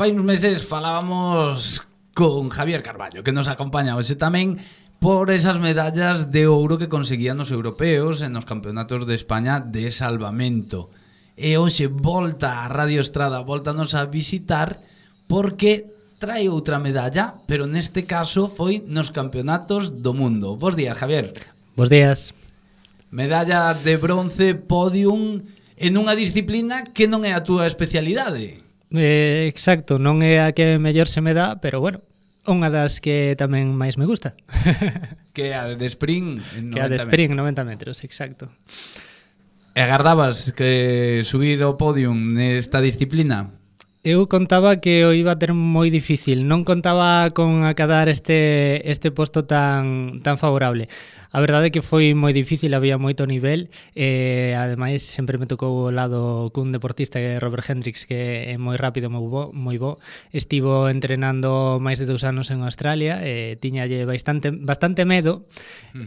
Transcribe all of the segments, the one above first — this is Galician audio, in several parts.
Fai uns meses falábamos con Javier Carballo, que nos acompaña hoxe tamén por esas medallas de ouro que conseguían os europeos en os campeonatos de España de salvamento. E hoxe volta a Radio Estrada, voltanos a visitar porque trae outra medalla, pero neste caso foi nos campeonatos do mundo. Bos días, Javier. Bos días. Medalla de bronce, podium, en unha disciplina que non é a túa especialidade. Exacto, non é a que mellor se me dá, pero bueno, unha das que tamén máis me gusta. Que é a de sprint en 90 que a de sprint en 90 metros, exacto. E agardabas que subir ao podium nesta disciplina? Eu contaba que o iba a ter moi difícil, non contaba con acadar este posto tan favorable. A verdade é que foi moi difícil, había moito nivel e ademais sempre me tocou o lado cun deportista que é Robert Hendricks, que é moi rápido, moi bo. Estivo entrenando máis de 2 anos en Australia e tiñalle bastante medo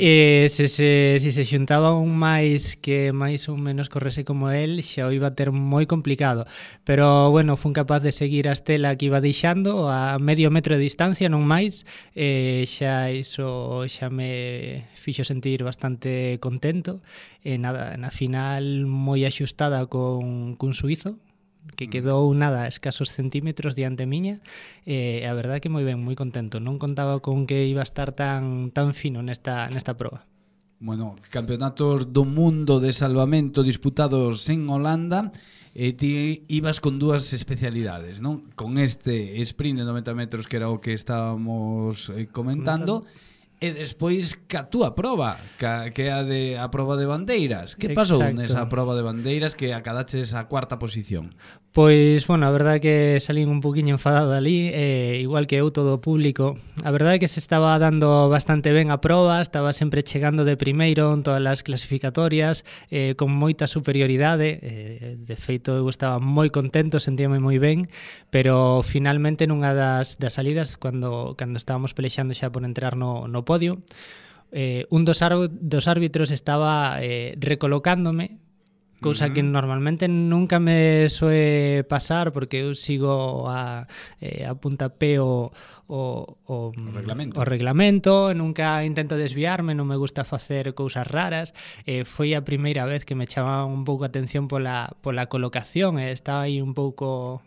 e se se xuntaba un máis que máis ou menos correse como el, xa o iba a ter moi complicado. Pero bueno, fun capaz de seguir a estela que iba deixando a medio metro de distancia, non máis, e xa iso xa me fixo sentir bastante contento e nada, na final moi axustada con suizo que quedou nada, escasos centímetros diante miña e a verdade que moi ben, moi contento, non contaba con que iba a estar tan fino nesta proba. Bueno, campeonatos do mundo de salvamento disputados en Holanda e ti ibas con 2 especialidades, non? Con este sprint de 90 metros que era o que estábamos comentando. E despois ca túa proba, que é a proba de bandeiras. Que pasou nesa proba de bandeiras que acadaches a 4ª posición? Pois, bueno, a verdade é que salín un poquinho enfadado ali, igual que eu todo o público. A verdade é que se estaba dando bastante ben a proba, estaba sempre chegando de primeiro en todas as clasificatorias, con moita superioridade. De feito, eu estaba moi contento, sentíame moi ben, pero finalmente nunha das salidas, cando estábamos pelexando xa por entrar no podio, un dos árbitros estaba recolocándome, cousa que normalmente nunca me soe pasar porque eu sigo a puntapé o reglamento, nunca intento desviarme, non me gusta facer cousas raras. Foi a primeira vez que me chamaba un pouco a atención pola colocación, estaba aí un pouco...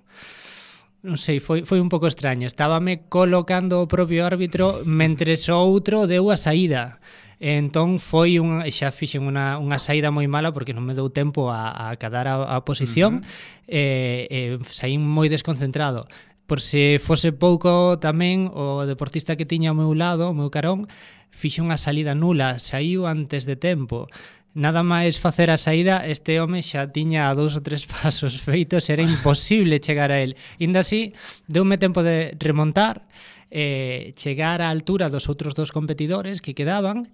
Non sei, foi un pouco extraño. Estábame colocando o propio árbitro mentres o outro deu a saída. Entón xa fixen unha saída moi mala porque non me deu tempo a acadar a posición e saín moi desconcentrado. Por se fose pouco tamén, o deportista que tiña ao meu lado, o meu carón, fixe unha salida nula, saíu antes de tempo. Nada máis facer a saída, este home xa tiña 2 ou 3 pasos feitos, era imposible chegar a él. Inda así, deume tempo de remontar, chegar á altura dos outros 2 competidores que quedaban,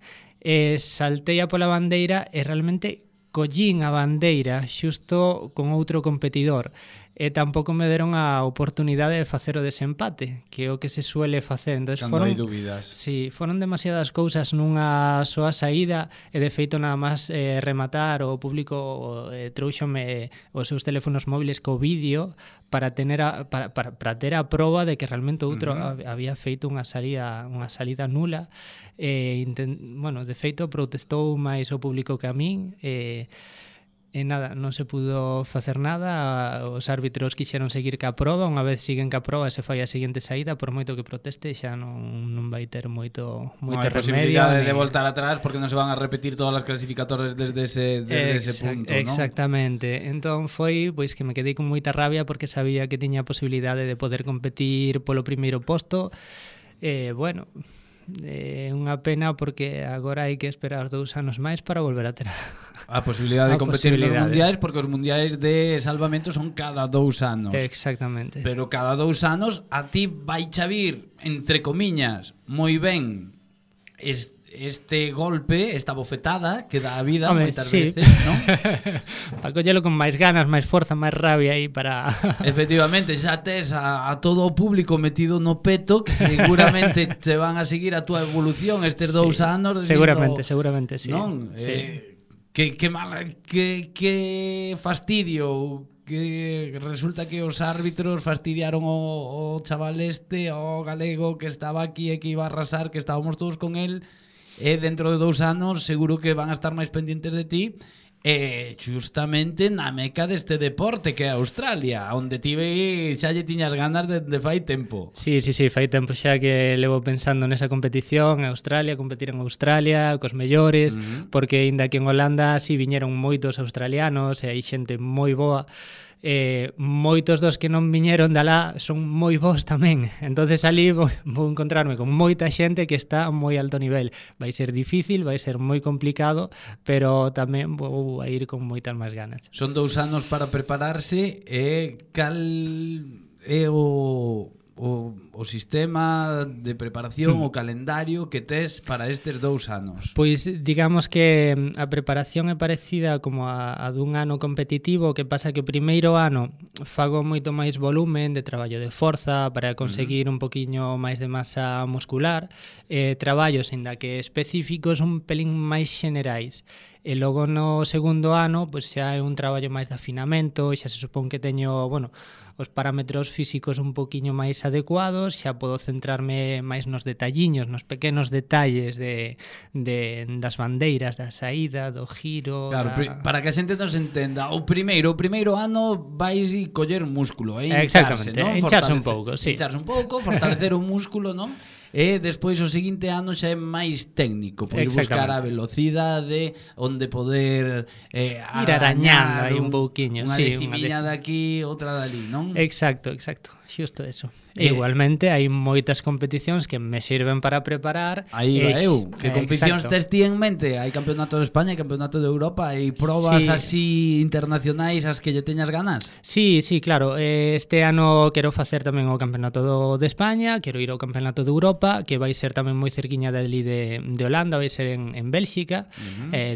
saltei a pola bandeira e realmente collín a bandeira xusto con outro competidor. E tampouco me deron a oportunidade de facer o desempate, que é o que se suele facer. Entonces, cando hai dúbidas. Sí, foron demasiadas cousas nunha soa saída e de feito nada máis rematar o público trouxome os seus teléfonos móviles co vídeo para ter a proba de que realmente outro había feito unha salida nula. Bueno, de feito protestou máis o público que a min e nada, non se pudo facer nada. Os árbitros quixeron seguir ca proba, unha vez siguen ca proba se fai a seguinte saída, por moito que proteste xa non vai ter moito remedio. Posibilidade de voltar atrás porque non se van a repetir todas as clasificatorias desde ese punto, ¿no? Exactamente. Entón foi pois que me quedei con moita rabia porque sabía que tiña a posibilidade de poder competir polo primeiro posto. Bueno, é unha pena porque agora hai que esperar 2 anos máis para volver a ter a posibilidade de competir nos mundiais, porque os mundiais de salvamento son cada 2 anos. Exactamente. Pero cada 2 anos a ti vai chavir, entre comiñas, moi ben este golpe, esta bofetada que dá a vida moitas veces, non? Para collelo con máis ganas, máis forza, máis rabia aí para... Efectivamente, xa tes a todo o público metido no peto que seguramente te van a seguir a túa evolución estes 2 anos. Seguramente, sí. Non? Sí. Que fastidio que resulta que os árbitros fastidiaron o chaval o galego que estaba aquí e que iba a arrasar, que estábamos todos con él, e dentro de 2 anos seguro que van a estar máis pendientes de ti. Justamente na meca deste deporte que é Australia, onde tive xa lle tiñas ganas de fai tempo. Sí, fai tempo xa que levo pensando nesa competición, Australia, competir en Australia cos mellores, porque aínda que en Holanda si viñeron moitos australianos e hai xente moi boa, moitos dos que non viñeron de alá son moi bons tamén, entonces ali vou encontrarme con moita xente que está a moi alto nivel. Vai ser difícil, vai ser moi complicado, pero tamén vou a ir con moitas máis ganas. Son 2 anos para prepararse. Cal é o sistema de preparación, o calendario que tes para estes 2 anos? Pois digamos que a preparación é parecida como a dun ano competitivo, que pasa que o primeiro ano fago moito máis volumen de traballo de forza para conseguir un poquiño máis de masa muscular, traballos ainda que específicos un pelín máis xenerais. E logo no segundo ano pois xa é un traballo máis de afinamento, xa se supón que teño, os parámetros físicos un poquiño máis adecuados, xa podo centrarme máis nos detalliños, nos pequenos detalles das bandeiras, da saída, do giro. Claro, para que a xente nos entenda, o primeiro ano vais e coller músculo, exactamente, ¿no? Hincharse un pouco, sí. Hincharse un pouco, fortalecer o músculo, non? E despois o seguinte ano xa é máis técnico, pois buscar a velocidade, onde poder ir arañando aí un pouquiño, unha decimiña daqui, outra dali, non? Exacto, xusto eso. Igualmente hai moitas competicións que me sirven para preparar. Aí va eu. Que competicións tes ti en mente? Hai campeonato de España, hai campeonato de Europa, hai probas así internacionais as que lle teñas ganas? Sí, claro. Este ano quero facer tamén o campeonato de España, quero ir ao campeonato de Europa, que vai ser tamén moi cerquiña dali de Holanda, vai ser en Bélxica,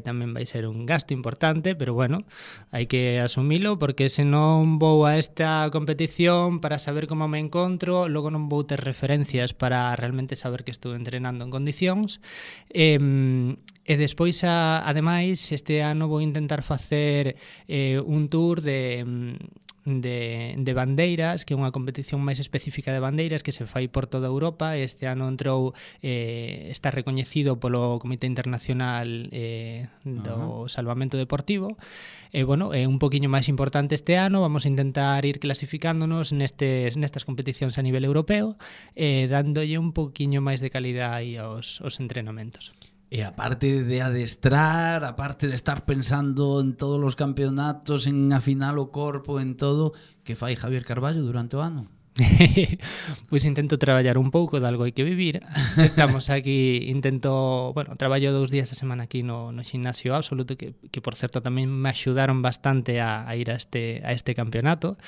tamén vai ser un gasto importante, pero bueno, hai que asumilo, porque se non vou a esta competición para saber como me encontro, logo non vou ter referencias para realmente saber que estou entrenando en condicións. E despois, ademais, este ano vou intentar facer un tour de bandeiras, que é unha competición máis específica de bandeiras que se fai por toda Europa. Este ano entrou, está recoñecido polo Comité Internacional do Salvamento Deportivo. É un poquinho máis importante este ano. Vamos a intentar ir clasificándonos nestas competicións a nivel europeo, dándolle un poquinho máis de calidade aos entrenamentos. E aparte de adestrar, aparte de estar pensando en todos os campeonatos, en afinar o corpo, en todo, que fai Javier Carballo durante o ano? Pois intento traballar un pouco, de algo hai que vivir. Estamos aquí, traballo 2 días a semana aquí no Ximnasio Absoluto, que por certo tamén me axudaron bastante a ir a este campeonato.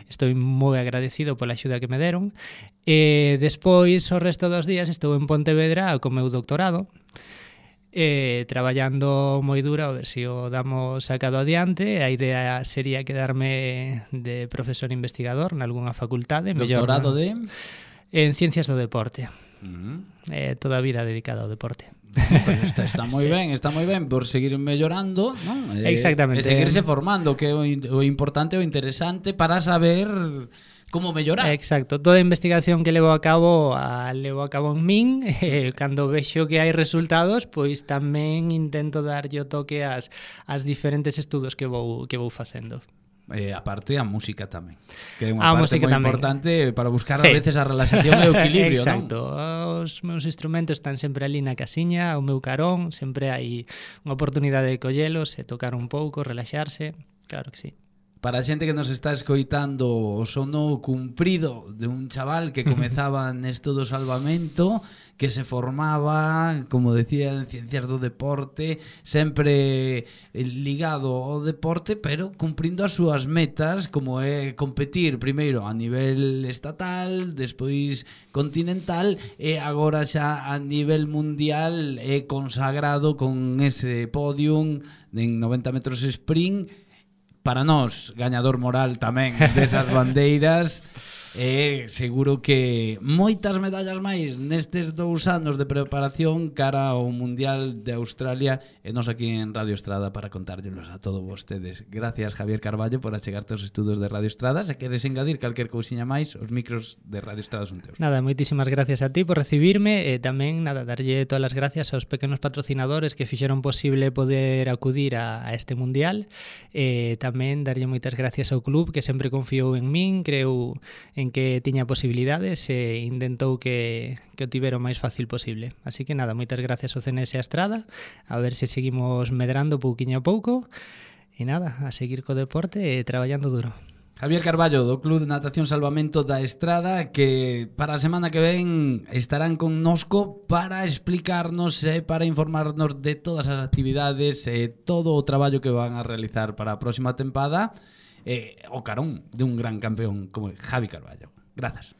Estou moi agradecido pola axuda que me deron. E despois, o resto dos días, estou en Pontevedra co meu doctorado, traballando moi duro a ver se o damos sacado adiante. A idea sería quedarme de profesor investigador nalgúna facultade. Doctorado en Ciencias do Deporte. Toda a vida dedicada ao deporte. Pues está moi ben por seguir mellorando, non? Exactamente. E seguirse formando, que é o importante, o interesante para saber como mellorar. Exacto, toda a investigación que levo a cabo en min, cando vexo que hai resultados, pois tamén intento darlle o toque ás diferentes estudos que vou facendo. Aparte a música tamén, que é unha parte moi importante para buscar a veces a relaxación e o equilibrio. Exacto, non? Os meus instrumentos están sempre ali na casiña, o meu carón, sempre hai unha oportunidade de collelos e tocar un pouco, relaxarse, claro que sí. Para a xente que nos está escoitando, o sono cumprido de un chaval que comezaba nesto do salvamento, que se formaba, como decía, en Ciencias do Deporte, sempre ligado ao deporte, pero cumprindo as súas metas, como é competir primeiro a nivel estatal, despois continental, e agora xa a nivel mundial é consagrado con ese podium en 90 metros sprint. Para nós, gañador moral tamén desas bandeiras, Seguro que moitas medallas máis nestes 2 anos de preparación cara ao Mundial de Australia, e nos aquí en Radio Estrada para contárllelos a todos vostedes. Gracias, Javier Carballo, por achegarte aos estudos de Radio Estrada. Se queres engadir calquer cousiña máis, os micros de Radio Estrada son teus. Nada, moitísimas gracias a ti por recibirme, e tamén nada, darlle todas as gracias aos pequenos patrocinadores que fixeron posible poder acudir a este Mundial, e tamén darlle moitas gracias ao club que sempre confiou en min, creu en que tiña posibilidades e intentou que o tivera o máis fácil posible. Así que nada, moitas gracias ao CNS e a Estrada, a ver se seguimos medrando pouquiño a pouco, e nada, a seguir co deporte e traballando duro. Javier Carballo, do Club de Natación Salvamento da Estrada, que para a semana que ven estarán connosco para explicarnos e para informarnos de todas as actividades e todo o traballo que van a realizar para a próxima tempada, o carón de un gran campeón como Javi Carballo. Grazas.